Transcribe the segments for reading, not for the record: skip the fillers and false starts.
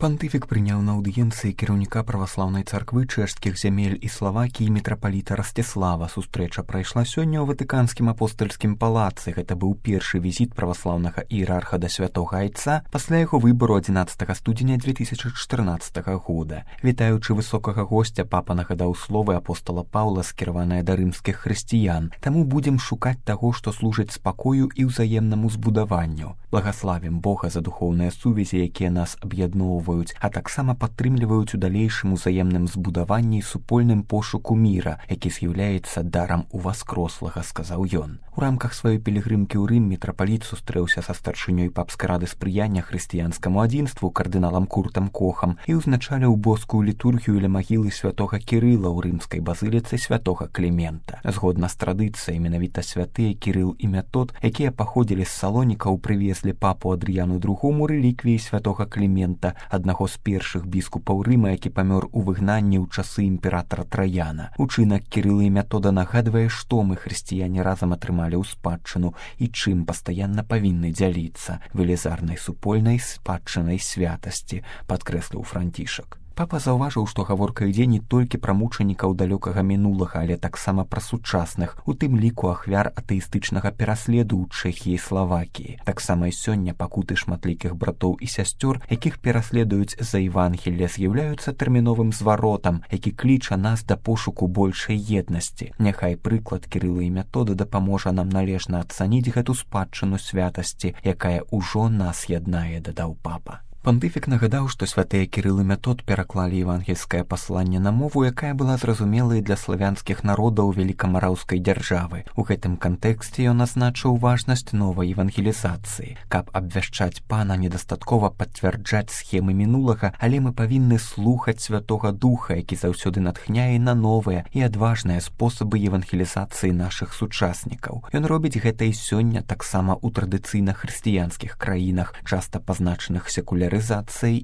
Пантыфік прыняў на аўдыенцыі кіраўніка праваслаўнай царквы чэшскіх зямель і Славакіі мітрапаліта Расціслава. Сустрэча прайшла сёння ў Ватыканскім апостальскім палацы. Гэта быў першы візіт праваслаўнага іерарха да святога айца пасля яго выбару 11 студзеня 2014 года. Вітаючы высокага госця, папа нагадаў словы апостола Паўла, скіраваныя да рымскіх хрысціян. Таму будзем шукаць таго, што служыць спакою і ўзаемнаму збудаванню. Благаславім Бога за духоўныя сувязі, якія нас аб'ядноўваюць, а таксама падтрымліваюць у далейшым узаемным збудаванні і супольным пошуку міра, які з'яўляецца дарам уваскрослага, сказаў ён. У рамках сваёй пілігрымкі ў Рым мітрапаліт сустрэўся са старшынёй папскай рады спрыяння хрысціянскаму адзінству кардыналам Куртам Кохам і ўзначаліў боскую літургію ля магілы святога Кірыла ў рымскай базыліцы святога Клімента. Згодна з традыцыяй, менавіта святыя Кірыл і Мятод, якія паходзілі з Салонікаў, прывезлі папу Адрыяну II рэліквіі святога Клімента, аднаго з першых біскупаў Рыма, які памёр у выгнанні ў часы імператара Траяна. Учынак Кірыла і Мятода нагадвае, што мы, хрысціяне, разам атрымалі ў спадчыну і чым пастаянна павінны дзяліцца велізарнай супольнай спадчынай святасці, падкрэсліў Францішак. Папа заўважыў, што гаворка ідзе не толькі пра мучанікаў далёкага мінулага, але таксама пра сучасных, у тым ліку ахвяр атэістычнага пераследу ў Чэхіі і Славакіі. Таксама і сёння пакуты шматлікіх братоў і сясцёр, якіх пераследуюць за Евангелле, з'яўляюцца тэрміновым зваротам, які кліча нас да пошуку большай еднасці. Няхай прыклад Кірыла і Мятода дапаможа нам належна ацаніць гэту спадчыну святасці, якая ўжо нас яднае, дадаў папа. Пантыфік нагадаў, што святыя Кірыл і Мятод пераклалі евангельскае пасланне на мову, якая была зразумелай для славянскіх народаў велікамараўскай дзяржавы. У гэтым кантэксце ён азначыў важнасць новай евангелізацыі. Каб абвяшчаць пана, недастаткова пацвярджаць схемы мінулага, але мы павінны слухаць Святога Духа, які заўсёды натхняе на новыя і адважныя спосабы евангелізацыі нашых сучаснікаў. Ён робіць гэта і сёння таксама ў традыцыйна хрысціянскіх краінах, часта пазначаных секулярызацыяй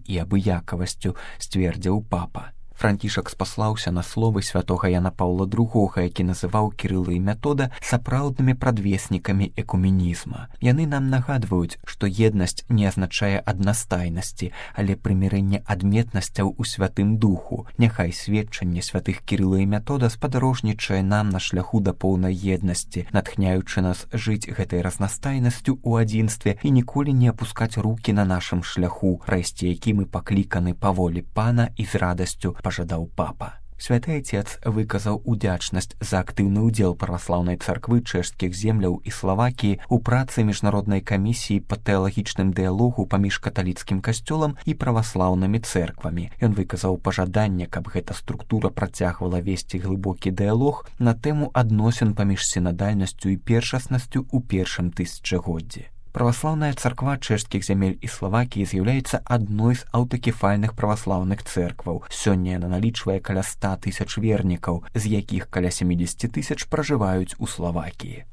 і абыякавасцю, сцвердзіў папа. Францішак спаслаўся на словы святога Яна Паўла II, які называў Кірыла і Мятода сапраўднымі прадвеснікамі экуменізма. Яны нам нагадваюць, што еднасць не азначае аднастайнасці, але прымірэнне адметнасцяў у святым духу. Няхай сведчанне святых Кірыла і Мятода спадарожнічае нам на шляху да поўнай еднасці, натхняючы нас жыць гэтай разнастайнасцю ў адзінстве і ніколі не апускаць рукі на нашым шляху, прайсці які мы пакліканы па волі пана і з радасцю, пажадаў папа. Святы Айцец выказаў удзячнасць за актыўны ўдзел праваслаўнай царквы чэшскіх земляў і Славакіі ў працы міжнароднай камісіі па тэалагічным дыялогу паміж каталіцкім касцёлам і праваслаўнымі цэрквамі. Ён выказаў пажаданне, каб гэта структура працягвала весці глыбокі дыялог на тэму адносін паміж сінадальнасцю і першаснасцю ў першым тысячагоддзі. Праваслаўная царква чэшскіх зямель і Славакіі з'яўляецца адной з аўтакефальных праваслаўных цэркваў. Сёння яна налічвае каля 100 000 вернікаў, з якіх каля 70 000 пражываюць у Славакіі.